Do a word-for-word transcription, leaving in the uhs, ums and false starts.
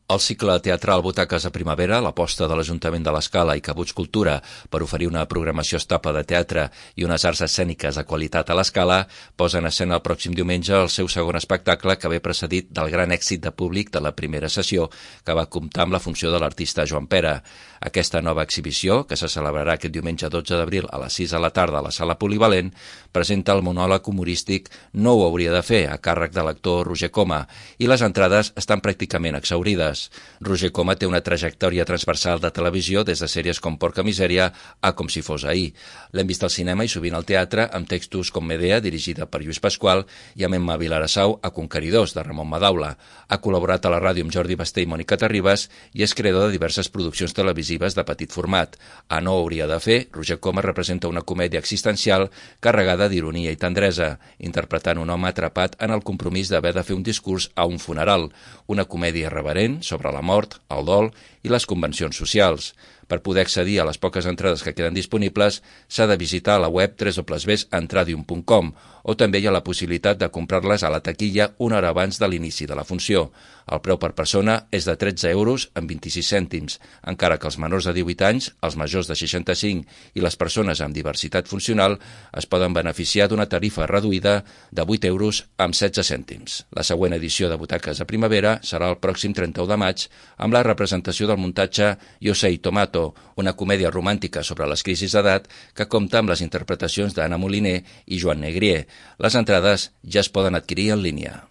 El cicle teatral Butaques a Primavera, l'aposta de l'Ajuntament de l'Escala i Cabuts Cultura per oferir una programació estable de teatre i unes arts escèniques de qualitat a l'Escala, posa en escena el pròxim diumenge el seu segon espectacle, que ve precedit del gran èxit de públic de la primera sessió, que va comptar amb la funció de l'artista Joan Pera. Aquesta nova exhibició, que se celebrarà aquest diumenge dotze d'abril a les sis de la tarda a la Sala Polivalent, presenta el monòleg humorístic No ho hauria de fer, a càrrec de l'actor Roger Coma, i les entrades estan pràcticament exhaurides. Roger Coma té una trajectòria transversal de televisió des de sèries com Porca Misèria a Com si fos ahir. L'hem vist al cinema i sovint al teatre amb textos com Medea, dirigida per Lluís Pasqual, i amb Emma Vilarassau a Conqueridors, de Ramon Madaula. Ha col·laborat a la ràdio amb Jordi Basté i Mònica Terribas i és creador de diverses produccions televisives de petit format. A No ho hauria de fer, Roger Coma representa una comèdia existencial carregada d'ironia i tendresa, interpretant un home atrapat en el compromís d'haver de fer un discurs a un funeral, una comèdia irreverent sobre la mort, el dol i les convencions socials. Per poder accedir a les poques entrades que queden disponibles, s'ha de visitar la web w w w punt entradium punt com o també hi ha la possibilitat de comprar-les a la taquilla una hora abans de l'inici de la funció. El preu per persona és de tretze euros amb vint-i-sis cèntims, encara que els menors de divuit anys, els majors de seixanta-cinc i les persones amb diversitat funcional es poden beneficiar d'una tarifa reduïda de vuit euros amb setze cèntims. La següent edició de Butaques a Primavera serà el pròxim trenta-u de maig amb la representació del muntatge Yo Sei Tomato, una comèdia romàntica sobre les crisis d'edat que compta amb les interpretacions d'Anna Moliner i Joan Negrier. Les entrades ja es poden adquirir en línia.